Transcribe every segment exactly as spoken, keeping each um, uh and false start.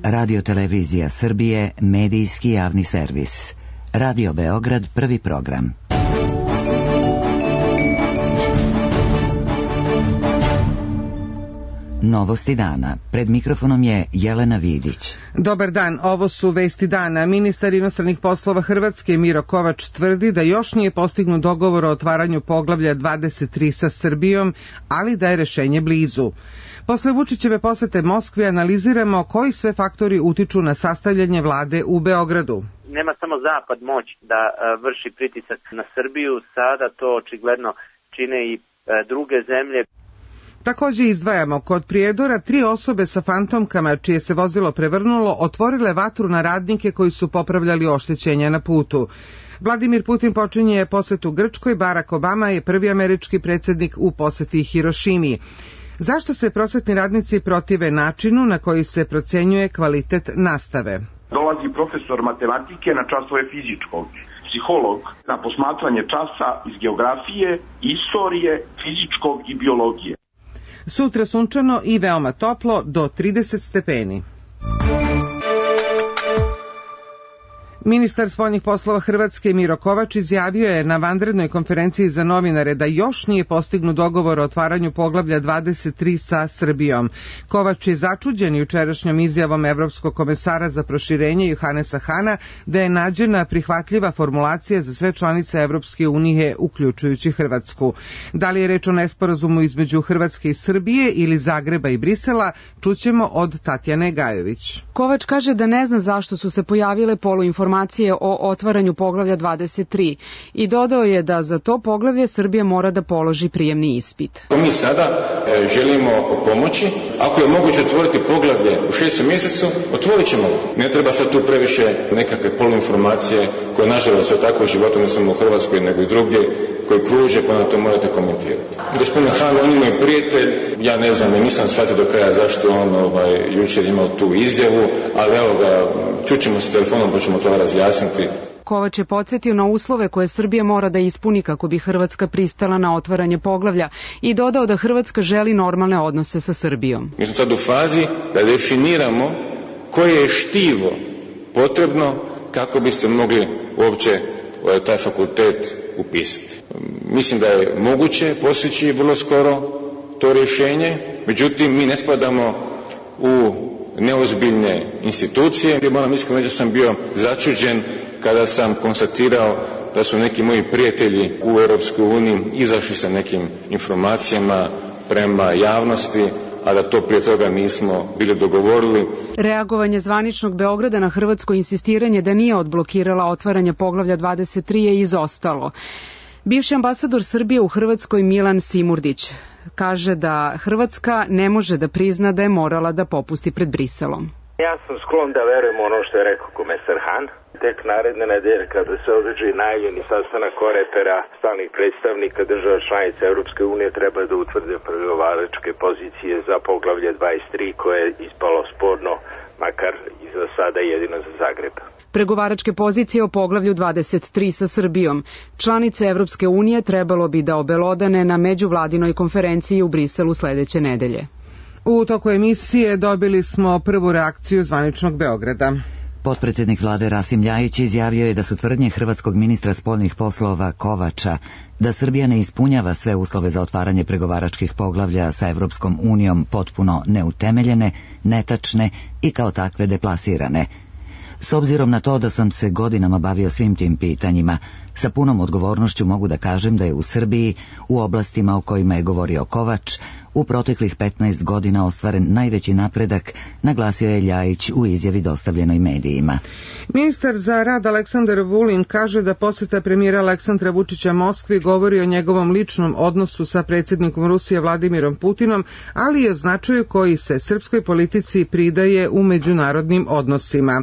Radio Televizija Srbije, medijski javni servis. Radio Beograd, prvi program. Novosti dana. Pred mikrofonom je Jelena Vidić. Dobar dan, ovo su vesti dana. Ministar inostranih poslova Hrvatske Miro Kovač tvrdi da još nije postignut dogovor o otvaranju poglavlja dvadeset tri sa Srbijom, ali da je rešenje blizu. Posle Vučićeve posete Moskvi analiziramo koji sve faktori utiču na sastavljanje vlade u Beogradu. Nema samo Zapad moć da vrši pritisak na Srbiju, sada to očigledno čine i druge zemlje. Takođe izdvajamo, kod Prijedora tri osobe sa fantomkama čije se vozilo prevrnulo otvorile vatru na radnike koji su popravljali oštećenja na putu. Vladimir Putin počinje posetu Grčkoj, Barack Obama je prvi američki predsjednik u poseti Hirošimi. Zašto se prosvetni radnici protive načinu na koji se procenjuje kvalitet nastave? Dolazi profesor matematike na časove fizičkog, psiholog na posmatranje časa iz geografije, istorije, fizičkog i biologije. Sutra sunčano i veoma toplo do trideset stepeni. Ministar spoljnih poslova Hrvatske Miro Kovač izjavio je na vanrednoj konferenciji za novinare da još nije postignut dogovor o otvaranju poglavlja dvadeset tri sa Srbijom. Kovač je začuđen jučerašnjom izjavom Evropskog komesara za proširenje Johanesa Hana da je nađena prihvatljiva formulacija za sve članice Evropske unije, uključujući Hrvatsku. Da li je reč o nesporazumu između Hrvatske i Srbije ili Zagreba i Brisela, čućemo od Tatjane Gajović. Kovač kaže da ne zna zašto su se pojavile poluinformacije o otvaranju poglavlja dvadeset tri i dodao je da za to poglavlje Srbija mora da položi prijemni ispit. Mi sada e, želimo pomoći, ako je moguće otvoriti poglavlje u šestom mjesecu, otvorit ćemo. Ne treba sad tu previše nekakve poluinformacije koje nažalost je tako u životu, ne samo u Hrvatskoj nego i drugdje, koji kruže, pa na to morate komentirati. Gospodin Han, on je prijatelj, ja ne znam, nisam shvatio do kraja zašto on ovaj, jučer imao tu izjavu, ali evo ga, čućemo se telefonom pa ćemo to razjasniti. Kovač je podsjetio na uslove koje Srbija mora da ispuni kako bi Hrvatska pristala na otvaranje poglavlja i dodao da Hrvatska želi normalne odnose sa Srbijom. Mi smo sad u fazi da definiramo koje je štivo potrebno kako biste mogli uopće taj fakultet upisati. Mislim da je moguće postići vrlo skoro to rješenje, međutim mi ne spadamo u neozbiljne institucije. Moram iskreno reći da sam bio začuđen kada sam konstatirao da su neki moji prijatelji u Europskoj uniji izašli sa nekim informacijama prema javnosti, a da to prije toga nismo bili dogovorili. Reagovanje zvaničnog Beograda na hrvatsko insistiranje da nije odblokirala otvaranje poglavlja dvadeset tri je izostalo. Bivši ambasador Srbije u Hrvatskoj Milan Simurdić kaže da Hrvatska ne može da prizna da je morala da popusti pred Briselom. Ja sam sklon da verujem ono što je rekao komesar Han. Tek naredne nedelje kada se održi najavljeni sastanak Korepera stalnih predstavnika država članica Europske unije treba da utvrde pregovaračke pozicije za poglavlje dvadeset tri koje je ispalo sporno, makar i za sada jedino za Zagreb. Pregovaračke pozicije o poglavlju dvadeset tri sa Srbijom. Članice Evropske unije trebalo bi da obelodane na međuvladinoj konferenciji u Briselu sledeće nedelje. U toku emisije dobili smo prvu reakciju zvaničnog Beograda. Potpredsjednik vlade Rasim Ljajić izjavio je da su tvrdnje hrvatskog ministra spoljnih poslova Kovača da Srbija ne ispunjava sve uslove za otvaranje pregovaračkih poglavlja sa Evropskom unijom potpuno neutemeljene, netačne i kao takve deplasirane. S obzirom na to da sam se godinama bavio svim tim pitanjima, sa punom odgovornošću mogu da kažem da je u Srbiji, u oblastima o kojima je govorio Kovač, u proteklih petnaest godina ostvaren najveći napredak, naglasio je Ljajić u izjavi dostavljenoj medijima. Ministar za rad Aleksandar Vulin kaže da poseta premijera Aleksandra Vučića Moskvi govori o njegovom ličnom odnosu sa predsjednikom Rusije Vladimirom Putinom, ali i o značaju koji se srpskoj politici pridaje u međunarodnim odnosima.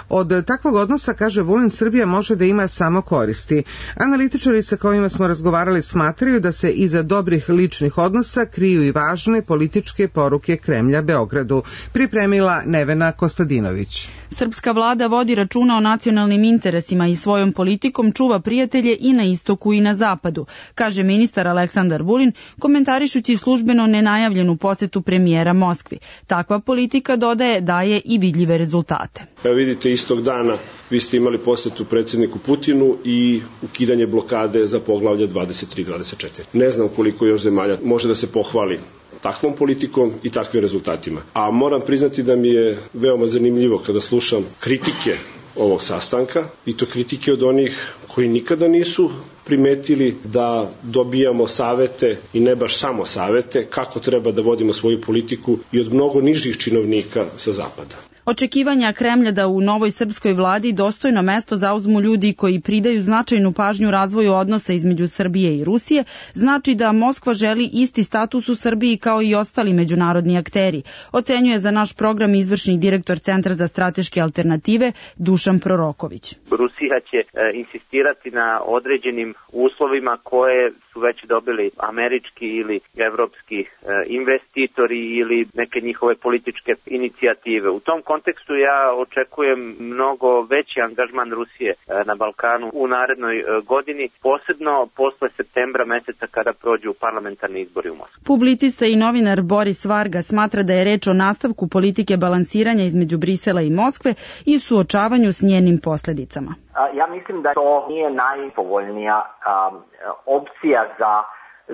Od takvog odnosa, kaže Vulin, Srbija može da ima samo koristi. Analitičari sa kojima smo razgovarali smatraju da se iza dobrih ličnih odnosa kriju i važne političke poruke Kremlja Beogradu, pripremila Nevena Kostadinović. Srpska vlada vodi računa o nacionalnim interesima i svojom politikom čuva prijatelje i na istoku i na zapadu, kaže ministar Aleksandar Vulin, komentarišući službeno nenajavljenu posetu premijera Moskvi. Takva politika, dodaje, daje i vidljive rezultate. Evo vidite, istog dana vi ste imali posetu predsjedniku Putinu i ukidanje blokade za poglavlje dvadeset tri dvadeset četiri. Ne znam koliko još zemalja može da se pohvali takvom politikom i takvim rezultatima. A moram priznati da mi je veoma zanimljivo kada slušam kritike ovog sastanka, i to kritike od onih koji nikada nisu primetili da dobijamo savete, i ne baš samo savete, kako treba da vodimo svoju politiku, i od mnogo nižih činovnika sa zapada. Očekivanja Kremlja da u novoj srpskoj vladi dostojno mesto zauzmu ljudi koji pridaju značajnu pažnju razvoju odnosa između Srbije i Rusije, znači da Moskva želi isti status u Srbiji kao i ostali međunarodni akteri, ocenjuje za naš program izvršni direktor Centra za strateške alternative Dušan Proroković. Rusija će e, insistirati na određenim uslovima koje su već dobili američki ili evropski e, investitori ili neke njihove političke inicijative. U tom kontekstu ja očekujem mnogo veći angažman Rusije na Balkanu u narednoj godini, posebno posle septembra meseca kada prođu parlamentarni izbori u Moskvi. Publicista i novinar Boris Varga smatra da je reč o nastavku politike balansiranja između Brisela i Moskve i suočavanju s njenim posljedicama. Ja mislim da to nije najpovoljnija um, opcija za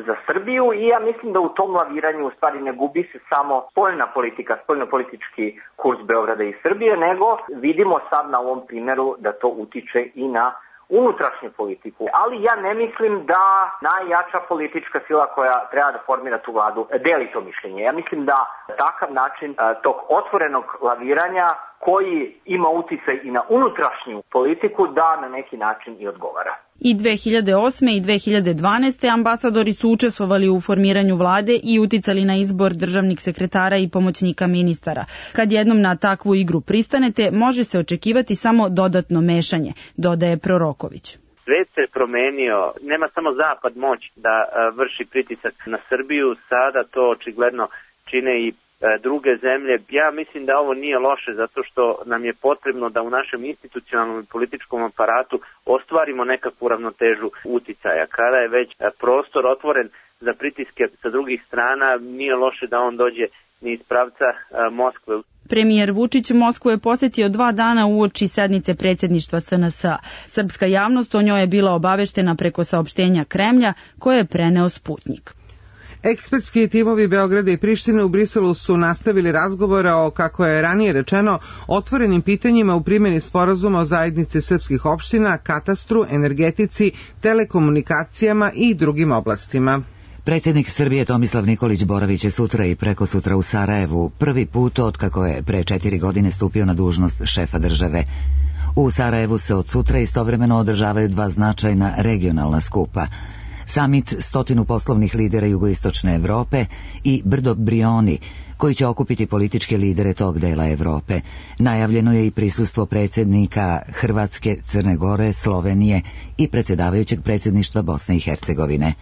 za Srbiju, i ja mislim da u tom laviranju u stvari ne gubi se samo spoljna politika, spoljnopolitički kurs Beograda i Srbije, nego vidimo sad na ovom primjeru da to utiče i na unutrašnju politiku. Ali ja ne mislim da najjača politička sila koja treba da formira tu vladu deli to mišljenje. Ja mislim da takav način tog otvorenog laviranja koji ima uticaj i na unutrašnju politiku da na neki način i odgovara. I dve hiljade osme i dve hiljade dvanaeste. ambasadori su učestvovali u formiranju vlade i uticali na izbor državnih sekretara i pomoćnika ministara. Kad jednom na takvu igru pristanete, može se očekivati samo dodatno mešanje, dodaje Proroković. Svet se promenio, nema samo Zapad moć da vrši pritisak na Srbiju, sada to očigledno čine i druge zemlje. Ja mislim da ovo nije loše zato što nam je potrebno da u našem institucionalnom i političkom aparatu ostvarimo nekakvu ravnotežu uticaja. Kada je već prostor otvoren za pritiske sa drugih strana, nije loše da on dođe ni iz pravca Moskve. Premijer Vučić Moskvu je posjetio dva dana uoči sednice predsjedništva S N S-a. Srpska javnost o njoj je bila obaveštena preko saopštenja Kremlja koje je preneo Sputnik. Ekspertski timovi Beograda i Prištine u Briselu su nastavili razgovore o, kako je ranije rečeno, otvorenim pitanjima u primjeni sporazuma o zajednici srpskih opština, katastru, energetici, telekomunikacijama i drugim oblastima. Predsjednik Srbije Tomislav Nikolić boravit će sutra i prekosutra u Sarajevu, prvi put od kako je pre četiri godine stupio na dužnost šefa države. U Sarajevu se od sutra istovremeno održavaju dva značajna regionalna skupa. Samit stotinu poslovnih lidera jugoistočne Evrope i Brdo Brioni, koji će okupiti političke lidere tog dela Evrope. Najavljeno je i prisustvo predsjednika Hrvatske, Crne Gore, Slovenije i predsjedavajućeg predsjedništva Bosne i Hercegovine.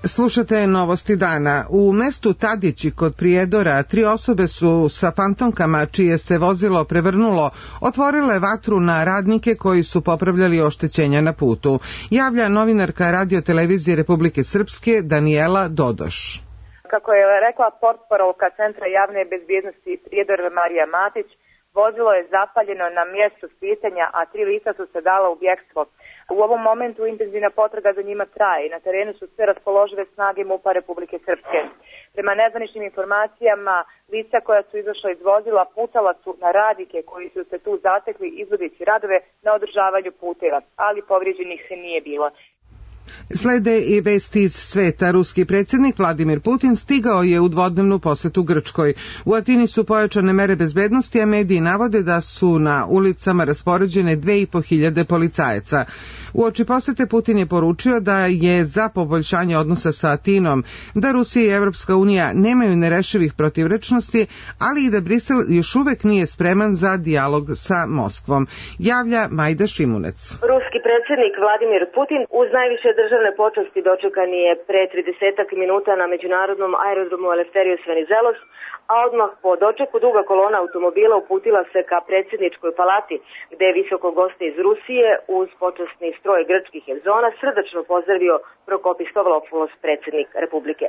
Slušate novosti dana. U mestu Tadići kod Prijedora tri osobe su sa fantomkama čije se vozilo prevrnulo otvorile vatru na radnike koji su popravljali oštećenja na putu. Javlja novinarka Radio-televizije Republike Srpske Danijela Dodoš. Kako je rekla portparolka Centra javne bezbjednosti Prijedor Marija Matić, vozilo je zapaljeno na mjestu spisanja, a tri lica su se dala u bjekstvo. U ovom momentu intenzivna potraga za njima traje i na terenu su sve raspoložive snage MUP-a Republike Srpske. Prema nezvaničnim informacijama, lica koja su izašla iz vozila putala su na radnike koji su se tu zatekli izvodeći radove na održavanju puteva, ali povrijeđenih se nije bilo. Slede i vesti iz sveta. Ruski predsjednik Vladimir Putin stigao je u dvodnevnu posetu Grčkoj. U Atini su pojačane mere bezbednosti, a mediji navode da su na ulicama raspoređene dve i po hiljade policajaca. Uoči posete Putin je poručio da je za poboljšanje odnosa sa Atinom, da Rusija i Evropska unija nemaju nerešivih protivrečnosti, ali i da Brisel još uvek nije spreman za dijalog sa Moskvom. Javlja Majda Šimunec. Ruski predsjednik Vladimir Putin uz najviše državne državne počasti dočekan je pre tridesetak minuta na međunarodnom aerodromu Eleftherios Venizelos, a odmah po dočeku duga kolona automobila uputila se ka predsjedničkoj palati, gde je visoko goste iz Rusije uz počasni stroj grčkih hezona srdačno pozdravio Prokopis Stavropoulos, predsjednik Republike.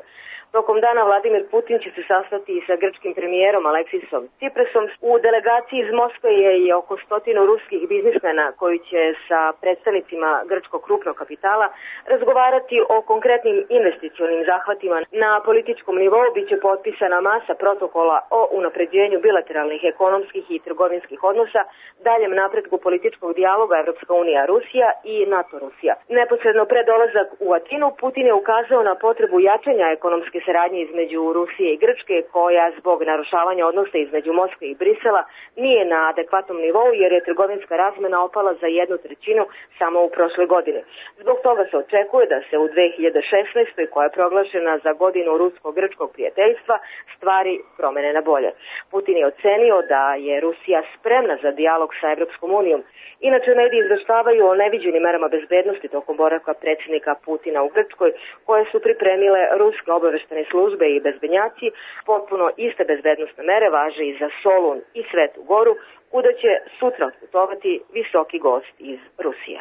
Tokom dana Vladimir Putin će se sastati i sa grčkim premijerom Aleksisom Tsiprasom. U delegaciji iz Moskve je i oko stotinu ruskih biznismena koji će sa predstavnicima grčkog krupnog kapitala razgovarati o konkretnim investicionim zahvatima. Na političkom nivou biće potpisana masa protokola o unapređenju bilateralnih ekonomskih i trgovinskih odnosa, daljem napretku političkog dijaloga Evropska unija Rusija i NATO Rusija. Neposredno pred dolazak u Atinu Putin je ukazao na potrebu jačanja ekonomske saradnje između Rusije i Grčke, koja zbog narušavanja odnosa između Moskve i Brisela nije na adekvatnom nivou, jer je trgovinska razmena opala za jednu trećinu samo u prošle godine. Zbog toga se očekuje da se u dve hiljade šesnaestoj. koja je proglašena za godinu rusko-grčkog prijateljstva, stvari promene na bolje. Putin je ocenio da je Rusija spremna za dijalog sa Evropskom unijom. Inače, mediji izveštavaju o neviđenim merama bezbednosti tokom boravka predsjednika Putina u Grčkoj, koje su pripremile ruske obaveštene službe i bezbednjaci. Potpuno iste bezbednostne mere važe i za Solun i Svetu Goru, kuda će sutra otputovati visoki gost iz Rusije.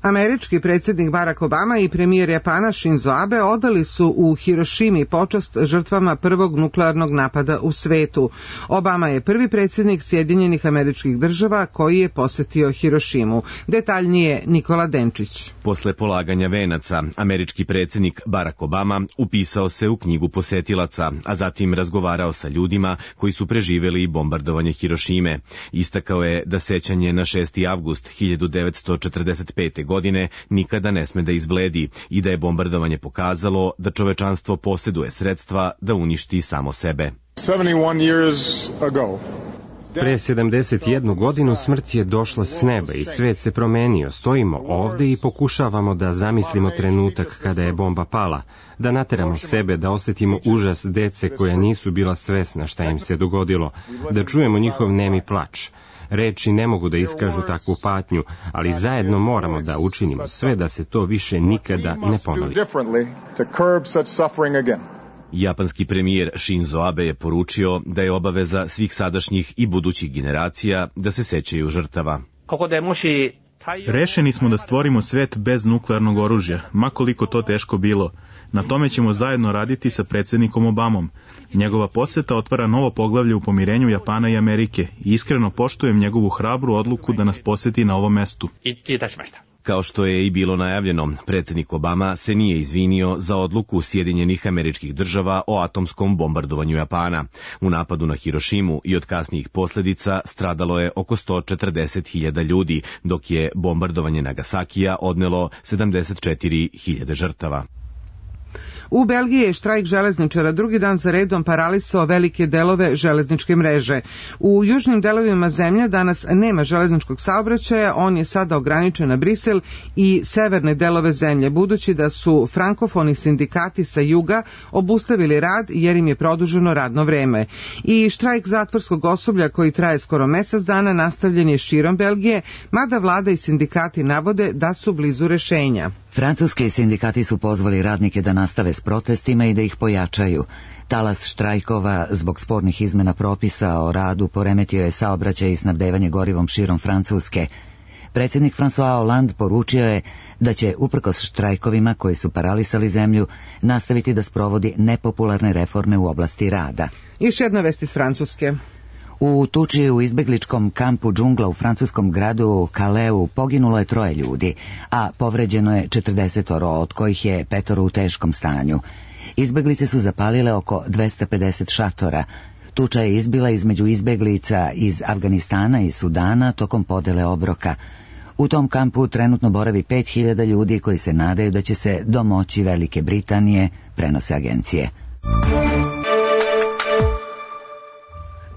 Američki predsjednik Barack Obama i premijer Japana Shinzo Abe odali su u Hirošimi počast žrtvama prvog nuklearnog napada u svetu. Obama je prvi predsjednik Sjedinjenih Američkih Država koji je posetio Hirošimu. Detaljnije Nikola Denčić. Posle polaganja venaca, američki predsjednik Barack Obama upisao se u knjigu posetilaca, a zatim razgovarao sa ljudima koji su preživjeli bombardovanje Hirošime. Istakao je da sećanje na šesti avgust hiljadu devetsto četrdeset pete. godine nikada ne sme da izbledi i da je bombardovanje pokazalo da čovečanstvo posjeduje sredstva da uništi samo sebe. Pre sedamdeset jednu godinu smrt je došla s neba i svet se promenio. Stojimo ovde i pokušavamo da zamislimo trenutak kada je bomba pala, da nateramo sebe da osjetimo užas dece koja nisu bila svesna šta im se dogodilo, da čujemo njihov nemi plač. Reči ne mogu da iskažu takvu patnju, ali zajedno moramo da učinimo sve da se to više nikada ne ponovi. Japanski premijer Shinzo Abe je poručio da je obaveza svih sadašnjih i budućih generacija da se sećaju žrtava. Rešeni smo da stvorimo svet bez nuklearnog oružja, ma koliko to teško bilo. Na tome ćemo zajedno raditi sa predsjednikom Obamom. Njegova poseta otvara novo poglavlje u pomirenju Japana i Amerike i iskreno poštujem njegovu hrabru odluku da nas poseti na ovom mestu. Kao što je i bilo najavljeno, predsjednik Obama se nije izvinio za odluku Sjedinjenih Američkih Država o atomskom bombardovanju Japana. U napadu na Hirošimu i od kasnijih posljedica stradalo je oko sto četrdeset hiljada ljudi, dok je bombardovanje Nagasakija odnelo sedamdeset četiri hiljade žrtava. U Belgiji je štrajk železničara drugi dan za redom paralisao velike delove železničke mreže. U južnim delovima zemlje danas nema železničkog saobraćaja, on je sada ograničen na Brisel i severne delove zemlje, budući da su frankofoni sindikati sa juga obustavili rad jer im je produženo radno vreme. I štrajk zatvorskog osoblja koji traje skoro mesec dana nastavljen je širom Belgije, mada vlada i sindikati navode da su blizu rešenja. Francuski sindikati su pozvali radnike da nastave s protestima i da ih pojačaju. Talas štrajkova zbog spornih izmena propisa o radu poremetio je saobraćaj i snabdevanje gorivom širom Francuske. Predsjednik François Hollande poručio je da će, uprkos štrajkovima koji su paralisali zemlju, nastaviti da sprovodi nepopularne reforme u oblasti rada. Još jedna vest iz Francuske. U tuči u izbegličkom kampu džungla u francuskom gradu Calaisu poginulo je troje ljudi, a povređeno je četrdesetoro, od kojih je petoro u teškom stanju. Izbeglice su zapalile oko dvesta pedeset šatora. Tuča je izbila između izbeglica iz Afganistana i Sudana tokom podele obroka. U tom kampu trenutno boravi pet hiljada ljudi koji se nadaju da će se domoći Velike Britanije, prenose agencije.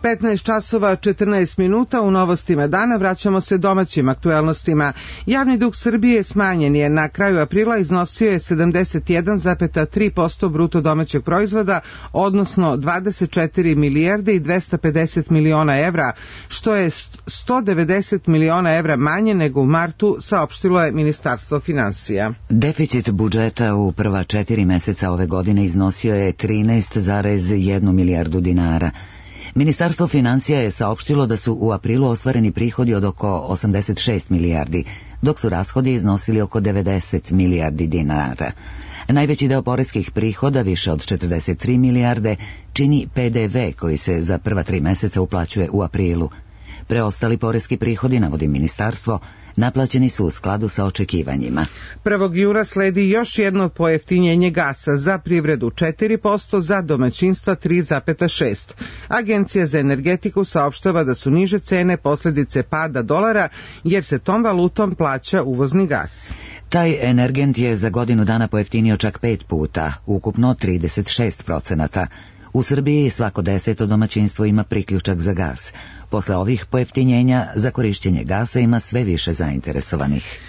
petnaest časova četrnaest minuta u novostima dana vraćamo se domaćim aktuelnostima. Javni dug Srbije smanjen je na kraju aprila, iznosio je sedamdeset jedan zarez tri posto bruto domaćeg proizvoda, odnosno dvadeset četiri milijarde i dvesta pedeset miliona evra, što je sto devedeset miliona evra manje nego u martu, saopštilo je Ministarstvo finansija. Deficit budžeta u prva četiri meseca ove godine iznosio je trinaest zarez jedan milijardu dinara. Ministarstvo finansija je saopštilo da su u aprilu ostvareni prihodi od oko osamdeset šest milijardi, dok su rashodi iznosili oko devedeset milijardi dinara. Najveći deo poreskih prihoda, više od četrdeset tri milijarde, čini P D V koji se za prva tri meseca uplaćuje u aprilu. Preostali poreski prihodi, navodi ministarstvo, naplaćeni su u skladu sa očekivanjima. prvog juna sledi još jedno pojeftinjenje gasa, za privredu četiri posto, za domaćinstva tri zarez šest posto. Agencija za energetiku saopštava da su niže cene posledice pada dolara, jer se tom valutom plaća uvozni gas. Taj energent je za godinu dana pojeftinio čak pet puta, ukupno trideset šest procenata. U Srbiji svako deseto domaćinstvo ima priključak za gas. Posle ovih pojeftinjenja za korišćenje gasa ima sve više zainteresovanih.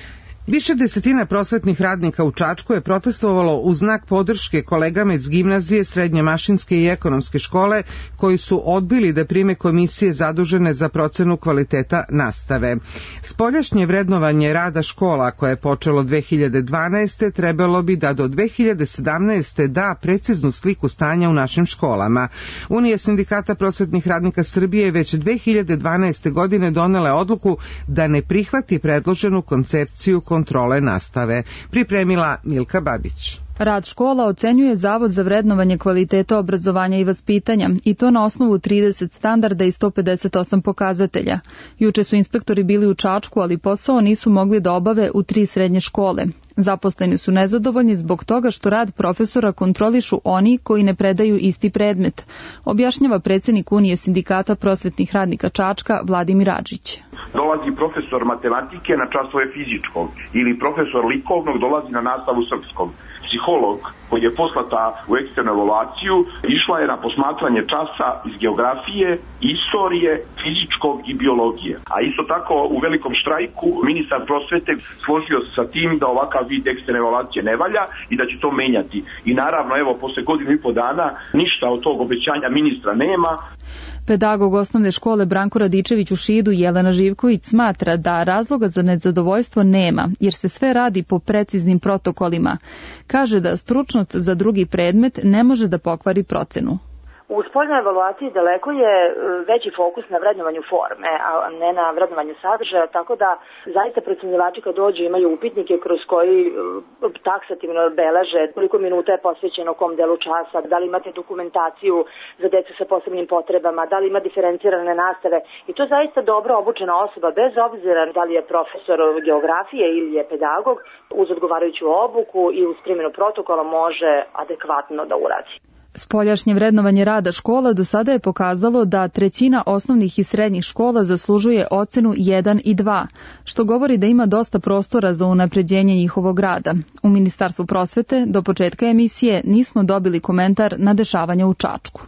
Više desetina prosvetnih radnika u Čačku je protestovalo u znak podrške kolegama iz gimnazije, srednje mašinske i ekonomske škole koji su odbili da prime komisije zadužene za procenu kvaliteta nastave. Spoljašnje vrednovanje rada škola, koje je počelo dve hiljade dvanaeste. trebalo bi da do dve hiljade sedamnaeste. da preciznu sliku stanja u našim školama. Unija sindikata prosvetnih radnika Srbije već dve hiljade dvanaeste. godine donela odluku da ne prihvati predloženu koncepciju kontrole nastave. Pripremila Milka Babić. Rad škola ocenjuje Zavod za vrednovanje kvaliteta obrazovanja i vaspitanja, i to na osnovu trideset standarda i sto pedeset osam pokazatelja. Juče su inspektori bili u Čačku, ali posao nisu mogli da obave u tri srednje škole. Zaposleni su nezadovoljni zbog toga što rad profesora kontrolišu oni koji ne predaju isti predmet, objašnjava predsjednik Unije sindikata prosvetnih radnika Čačka Vladimir Adžić. Dolazi profesor matematike na časove fizičkog ili profesor likovnog dolazi na nastavu srpskog. Psiholog koji je poslata u eksternu evaluaciju išla je na posmatranje časa iz geografije, istorije, fizičkog i biologije. A isto tako u velikom štrajku ministar prosvete složio se sa tim da ovakav vid eksterne evaluacije ne valja i da će to menjati. I naravno, evo, posle godinu i po dana ništa od tog obećanja ministra nema. Pedagog osnovne škole Branko Radičević u Šidu Jelena Živković smatra da razloga za nezadovoljstvo nema, jer se sve radi po preciznim protokolima. Kaže da stručnost za drugi predmet ne može da pokvari procenu. U spoljnoj evaluaciji daleko je veći fokus na vrednovanju forme, a ne na vrednovanju sadržaja, tako da zaista procenjivači kad dođu imaju upitnike kroz koji taksativno beleže koliko minuta je posvećeno kom delu časa, da li imate dokumentaciju za decu sa posebnim potrebama, da li ima diferencirane nastave, i to zaista dobro obučena osoba, bez obzira da li je profesor geografije ili je pedagog, uz odgovarajuću obuku i uz primjenu protokola može adekvatno da uradi. Spoljašnje vrednovanje rada škola do sada je pokazalo da trećina osnovnih i srednjih škola zaslužuje ocenu jedan i dva, što govori da ima dosta prostora za unapređenje njihovog rada. U Ministarstvu prosvete do početka emisije nismo dobili komentar na dešavanja u Čačku.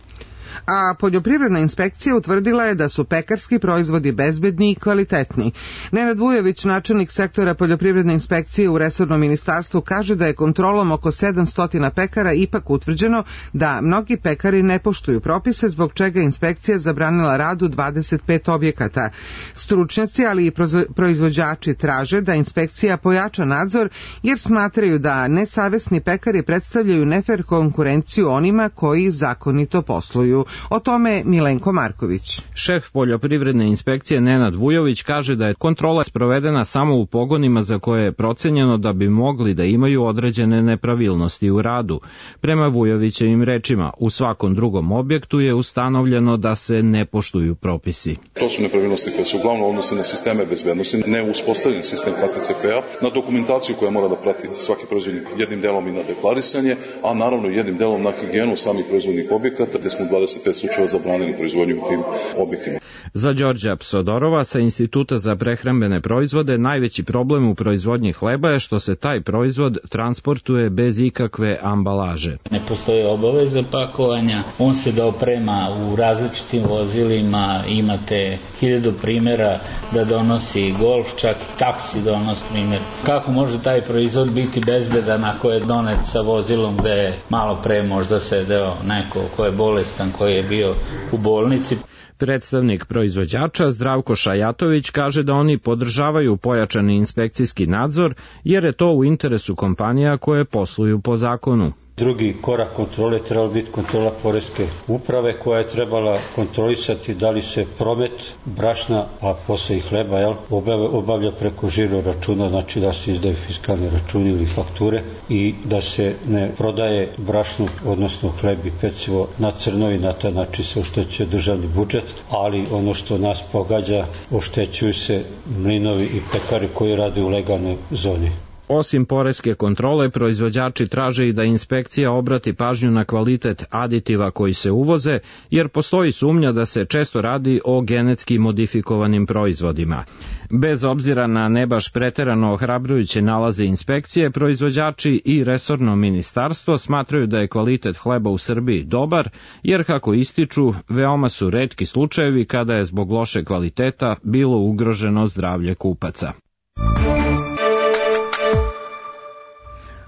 A poljoprivredna inspekcija utvrdila je da su pekarski proizvodi bezbedni i kvalitetni. Nenad Vujović, načelnik sektora poljoprivredne inspekcije u resornom ministarstvu, kaže da je kontrolom oko sedamsto pekara ipak utvrđeno da mnogi pekari ne poštuju propise, zbog čega inspekcija zabranila rad u dvadeset pet objekata. Stručnjaci, ali i proizvođači traže da inspekcija pojača nadzor, jer smatraju da nesavesni pekari predstavljaju nefer konkurenciju onima koji zakonito posluju. O tome Milenko Marković. Šef poljoprivredne inspekcije Nenad Vujović kaže da je kontrola sprovedena samo u pogonima za koje je procenjeno da bi mogli da imaju određene nepravilnosti u radu. Prema Vujovićevim rečima, u svakom drugom objektu je ustanovljeno da se ne poštuju propisi. To su nepravilnosti koje se uglavnom odnose na sisteme bezbednosti, ne uspostavljen sistem K C C P-a, na dokumentaciju koja mora da prati svaki proizvodnik, jednim delom i na deklarisanje, a naravno jednim delom na higijenu samih proizvodnih objekata, gde smo dvadeset dvadeset pet slučajeva zabranili proizvodnju u tim objektima. Za Đorđa Psodorova sa Instituta za prehrambene proizvode najveći problem u proizvodnji hleba je što se taj proizvod transportuje bez ikakve ambalaže. Ne postoji obaveza pakovanja, on se da oprema u različitim vozilima, imate hiljadu primjera da donosi Golf, čak taksi donosi primjer. Kako može taj proizvod biti bezbedan ako je donet sa vozilom gde je malo pre možda sedeo neko ko je bolestan, koji je bio u bolnici? Predstavnik proizvođača Zdravko Šajatović kaže da oni podržavaju pojačani inspekcijski nadzor jer je to u interesu kompanija koje posluju po zakonu. Drugi korak kontrole trebala biti kontrola poreske uprave koja je trebala kontrolisati da li se promet brašna, a posle i hleba, jel, obavlja preko žiro računa, znači da se izdaju fiskalne računi ili fakture i da se ne prodaje brašno, odnosno hleb i pecivo na crno i na taj način se oštećuje državni budžet, ali ono što nas pogađa, oštećuju se mlinovi i pekari koji rade u legalnoj zoni. Osim poreske kontrole, proizvođači traže i da inspekcija obrati pažnju na kvalitet aditiva koji se uvoze, jer postoji sumnja da se često radi o genetski modifikovanim proizvodima. Bez obzira na ne baš preterano ohrabrujuće nalaze inspekcije, proizvođači i resorno ministarstvo smatraju da je kvalitet hleba u Srbiji dobar, jer kako ističu, veoma su retki slučajevi kada je zbog loše kvaliteta bilo ugroženo zdravlje kupaca.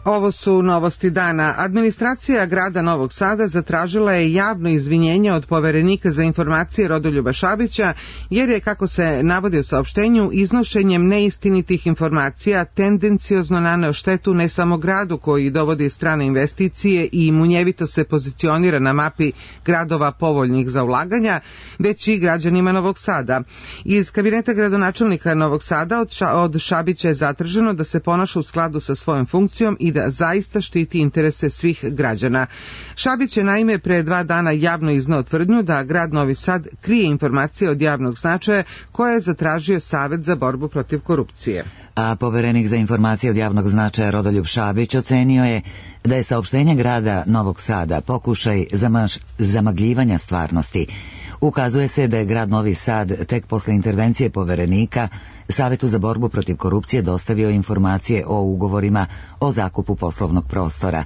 Ovo su novosti dana. Administracija grada Novog Sada zatražila je javno izvinjenje od poverenika za informacije Rodoljuba Šabića, jer je, kako se navodi u saopštenju, iznošenjem neistinitih informacija tendenciozno naneo štetu ne samo gradu koji dovodi strane investicije i munjevito se pozicionira na mapi gradova povoljnih za ulaganja, već i građanima Novog Sada. Iz kabineta gradonačelnika Novog Sada od, ša, od Šabića je zatraženo da se ponaša u skladu sa svojom funkcijom i da zaista štiti interese svih građana. Šabić je naime pre dva dana javno izneo tvrdnju da grad Novi Sad krije informacije od javnog značaja koje je zatražio Savet za borbu protiv korupcije. A poverenik za informacije od javnog značaja Rodoljub Šabić ocenio je da je saopštenje grada Novog Sada pokušaj zamaš, zamagljivanja stvarnosti. Ukazuje se da je grad Novi Sad tek posle intervencije poverenika Savetu za borbu protiv korupcije dostavio informacije o ugovorima o zakupu poslovnog prostora.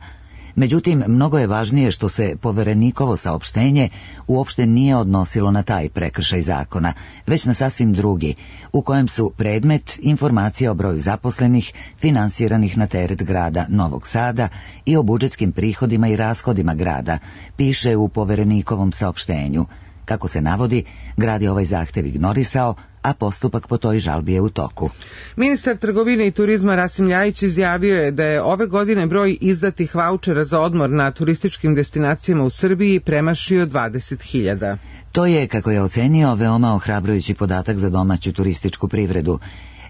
Međutim, mnogo je važnije što se poverenikovo saopštenje uopšte nije odnosilo na taj prekršaj zakona, već na sasvim drugi, u kojem su predmet informacije o broju zaposlenih finansiranih na teret grada Novog Sada i o budžetskim prihodima i rashodima grada, piše u poverenikovom saopštenju. Kako se navodi, grad je ovaj zahtev ignorisao, a postupak po toj žalbi je u toku. Ministar trgovine i turizma Rasim Ljajić izjavio je da je ove godine broj izdatih vaučera za odmor na turističkim destinacijama u Srbiji premašio dvadeset hiljada. To je, kako je ocenio, veoma ohrabrujući podatak za domaću turističku privredu.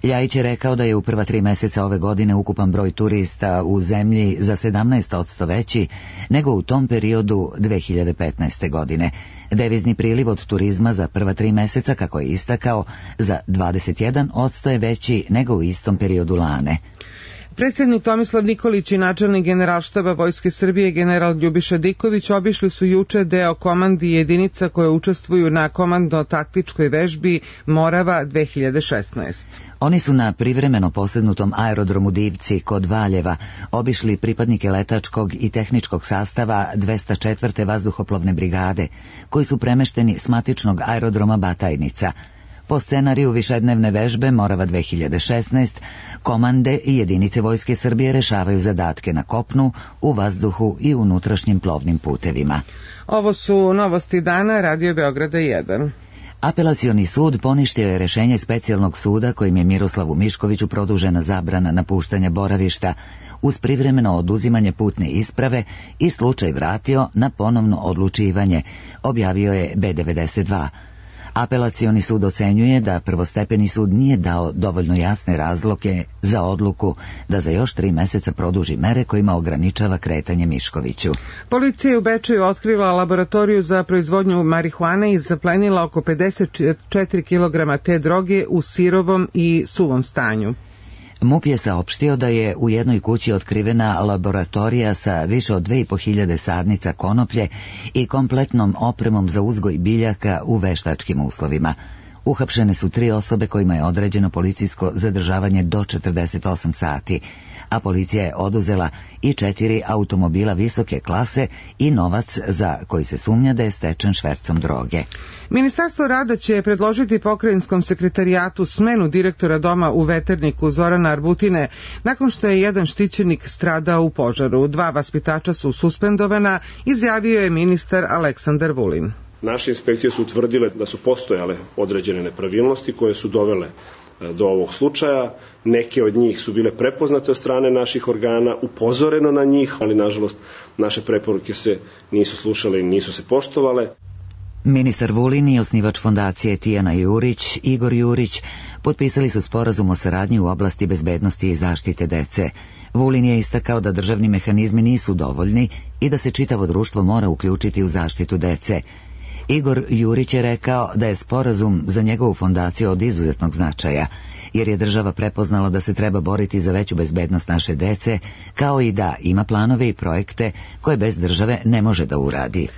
Ljajić je rekao da je u prva tri meseca ove godine ukupan broj turista u zemlji za sedamnaest posto veći nego u tom periodu dve hiljade petnaeste. godine. Devizni priliv od turizma za prva tri meseca, kako je istakao, za dvadeset jedan posto je veći nego u istom periodu lane. Predsjednik Tomislav Nikolić i načelnik Generalštaba Vojske Srbije general Ljubiša Diković obišli su juče deo komandi jedinica koje učestvuju na komandno-taktičkoj vežbi Morava dve hiljade šesnaeste. Oni su na privremeno posednutom aerodromu Divci kod Valjeva obišli pripadnike letačkog i tehničkog sastava dvesta četvrte vazduhoplovne brigade, koji su premešteni s matičnog aerodroma Batajnica. Po scenariju višednevne vežbe Morava dve hiljade šesnaeste, komande i jedinice Vojske Srbije rešavaju zadatke na kopnu, u vazduhu i unutrašnjim plovnim putevima. Ovo su novosti dana, Radio Beograda jedan. Apelacioni sud poništio je rešenje specijalnog suda kojim je Miroslavu Miškoviću produžena zabrana napuštanja boravišta uz privremeno oduzimanje putne isprave i slučaj vratio na ponovno odlučivanje, objavio je B devedeset dva. Apelacioni sud ocenjuje da prvostepeni sud nije dao dovoljno jasne razloge za odluku da za još tri meseca produži mere kojima ograničava kretanje Miškoviću. Policija je u Bečeju otkrila laboratoriju za proizvodnju marihuane i zaplenila oko pedeset četiri kilograma te droge u sirovom i suvom stanju. M U P je saopštio da je u jednoj kući otkrivena laboratorija sa više od dve i po hiljade sadnica konoplje i kompletnom opremom za uzgoj biljaka u veštačkim uslovima. Uhapšene su tri osobe kojima je određeno policijsko zadržavanje do četrdeset osam sati, a policija je oduzela i četiri automobila visoke klase i novac za koji se sumnja da je stečen švercom droge. Ministarstvo rada će predložiti pokrajinskom sekretarijatu smenu direktora doma u Veterniku Zorana Arbutine nakon što je jedan štićenik stradao u požaru. Dva vaspitača su suspendovana, izjavio je ministar Aleksandar Vulin. Naše inspekcije su utvrdile da su postojale određene nepravilnosti koje su dovele do ovog slučaja. Neke od njih su bile prepoznate od strane naših organa, upozoreno na njih, ali nažalost naše preporuke se nisu slušale i nisu se poštovale. Ministar Vulin i osnivač fondacije Tijana Jurić, Igor Jurić, potpisali su sporazum o saradnji u oblasti bezbednosti i zaštite dece. Vulin je istakao da državni mehanizmi nisu dovoljni i da se čitavo društvo mora uključiti u zaštitu dece. Igor Jurić je rekao da je sporazum za njegovu fondaciju od izuzetnog značaja, jer je država prepoznala da se treba boriti za veću bezbednost naše dece, kao i da ima planove i projekte koje bez države ne može da uradi.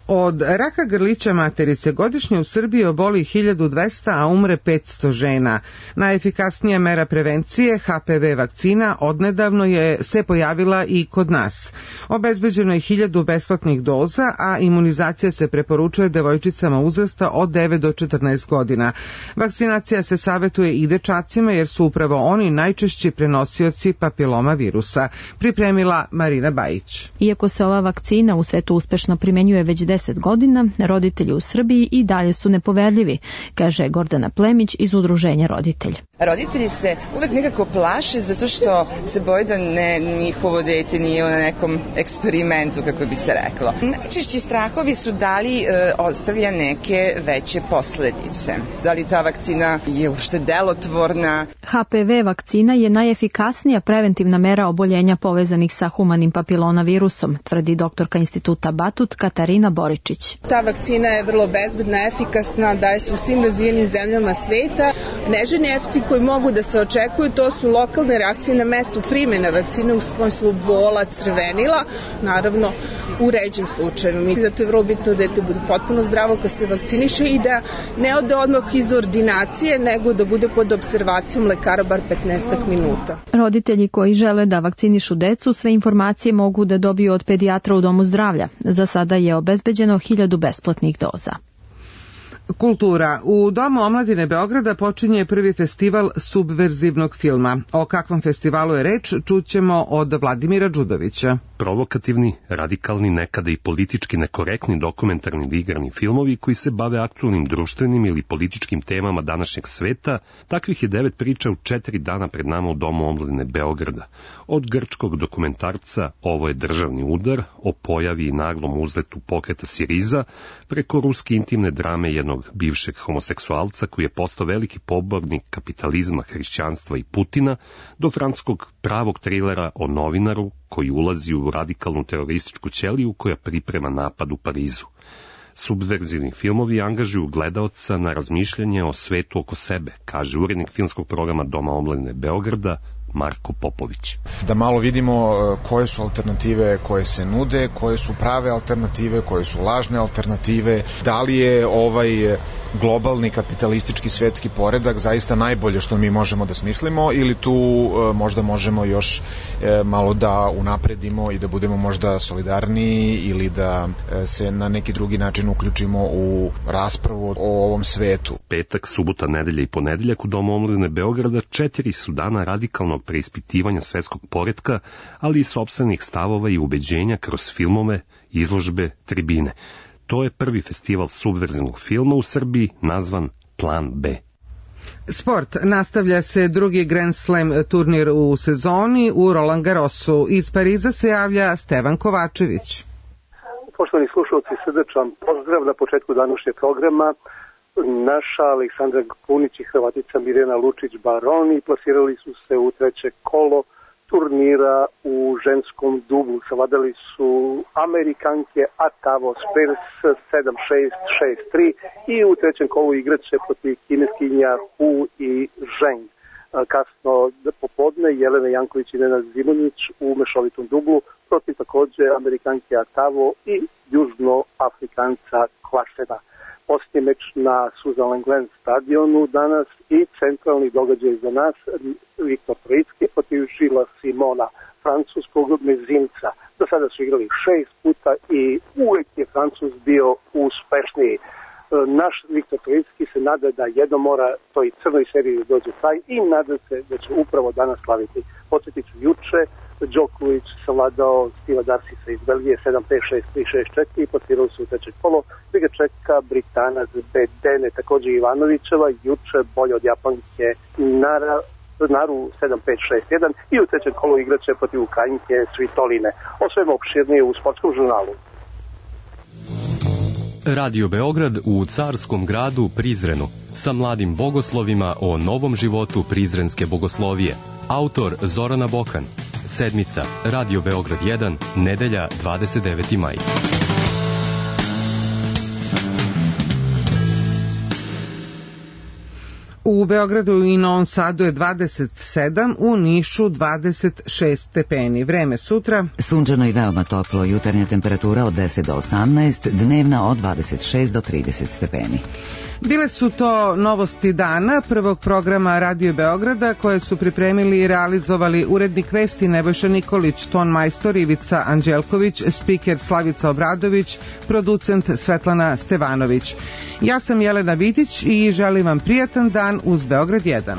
Od raka grlića materice godišnje u Srbiji oboli hiljadu dvesta, a umre petsto žena. Najefikasnija mera prevencije, H P V vakcina, odnedavno je se pojavila i kod nas. Obezbeđeno je hiljadu besplatnih doza, a imunizacija se preporučuje devojčicama uzrasta od devet do četrnaest godina. Vakcinacija se savetuje i dečacima jer su upravo oni najčešći prenosioci papiloma virusa. Pripremila Marina Bajić. Iako se ova vakcina u svetu uspešno primenjuje već deset godina, roditelji u Srbiji i dalje su nepoverljivi, kaže Gordana Plemić iz udruženja Roditelj. Roditelji se uvek nekako plaše zato što se boje da ne, njihovo dete nije na nekom eksperimentu, kako bi se reklo. Najčešći strahovi su da li e, ostavlja neke veće posledice. Da li ta vakcina je uopšte delotvorna. H P V vakcina je najefikasnija preventivna mera oboljenja povezanih sa humanim papilonavirusom, tvrdi doktorka instituta Batut Katarina Boričić. Ta vakcina je vrlo bezbedna, efikasna, daje se u svim razvijenim zemljama sveta. Neželjni efekti koji mogu da se očekuju, to su lokalne reakcije na mestu primjene vakcine u smislu bola, crvenila, naravno u ređim slučajevima. Zato je vrlo bitno da dete bude potpuno zdravo kad se vakciniše i da ne ode odmah iz ordinacije, nego da bude pod observacijom lekara bar petnaest minuta. Roditelji koji žele da vakcinišu decu, sve informacije mogu da dobiju od pedijatra u domu zdravlja. Za sada je obezbeđeno hiljadu besplatnih doza. Kultura. U Domu omladine Beograda počinje prvi festival subverzivnog filma. O kakvom festivalu je reč, čućemo od Vladimira Đudovića. Provokativni, radikalni, nekada i politički nekorektni dokumentarni i igrani filmovi koji se bave aktualnim društvenim ili političkim temama današnjeg sveta, takvih je devet priča u četiri dana pred nama u Domu omladine Beograda. Od grčkog dokumentarca Ovo je državni udar, o pojavi i naglom uzletu pokreta Siriza, preko ruske intimne drame jednog bivšeg homoseksualca koji je postao veliki pobornik kapitalizma, hrišćanstva i Putina, do francuskog pravog trilera o novinaru koji ulazi u radikalnu terorističku ćeliju koja priprema napad u Parizu. Subverzivni filmovi angažuju gledaoca na razmišljanje o svetu oko sebe, kaže urednik filmskog programa Doma omladine Beograda Marko Popović. Da malo vidimo koje su alternative koje se nude, koje su prave alternative, koje su lažne alternative, da li je ovaj globalni kapitalistički svetski poredak zaista najbolje što mi možemo da smislimo ili tu možda možemo još malo da unapredimo i da budemo možda solidarniji ili da se na neki drugi način uključimo u raspravu o ovom svetu. Petak, subota, nedelja i ponedeljak u Domu omladine Beograda četiri su dana radikalnog preispitivanja svetskog poretka, ali i sopstvenih stavova i ubeđenja kroz filmove, izložbe, tribine. To je prvi festival subverzivnog filma u Srbiji nazvan Plan B. Sport. Nastavlja se drugi Grand Slam turnir u sezoni u Roland Garrosu. Iz Pariza se javlja Stevan Kovačević. Poštovani slušalci, srdečan pozdrav na početku današnjeg programa. Naša Aleksandra Kunić i Hrvatica Mirjana Lučić-Baroni plasirali su se u treće kolo turnira u ženskom dublu. Savladali su Amerikanke Atavo Spears sedam šest šest tri i u trećem kolu igraće protiv kineskinja Hu i Zheng. kasno popodne Jelena Janković i Nenad Zimonjić u mešovitom dublu protiv takođe Amerikanke Atavo i Južnoafrikanca Klasena. Posljednji meč na Sutherland Glen stadionu danas i centralni događaj za nas, Viktor Trojicki protiv Žila Simona, francuskog mezimca. Do sada su igrali šest puta i uvek je Francuz bio uspešniji. Naš Viktor Trojicki se nada da jedno mora toj crnoj seriji dođe taj i nada se da će upravo danas slaviti. Podsjetit ću juče, Đoković savladao Steva Darsisa iz Belgije sedam pet šest tri šest četiri i potirali su u treće kolo. Vi ga čeka Britanac Bedene, takođe Ivanovićeva, juče bolje od Japanke Nara, Naru sedam pet šest jedan i u trećem kolu igraće protiv Ukrajinke Svitoline. O svemu opširnije u sportskom žurnalu. Radio Beograd u carskom gradu Prizrenu sa mladim bogoslovima o novom životu prizrenske bogoslovije. Autor Zorana Bokan. Sedmica, Radio Beograd jedan, nedelja dvadeset deveti maj. U Beogradu i Novom Sadu je dvadeset sedam, u Nišu dvadeset šest stepeni. Vreme sutra. Sunčano i veoma toplo, jutarnja temperatura od deset do osamnaest, dnevna od dvadeset šest do trideset stepeni. Bile su to novosti dana prvog programa Radio Beograda koje su pripremili i realizovali urednik vesti Nebojša Nikolić, ton majstor Ivica Anđelković, spiker Slavica Obradović, producent Svetlana Stevanović. Ja sam Jelena Vidić i želim vam prijatan dan uz Beograd jedan.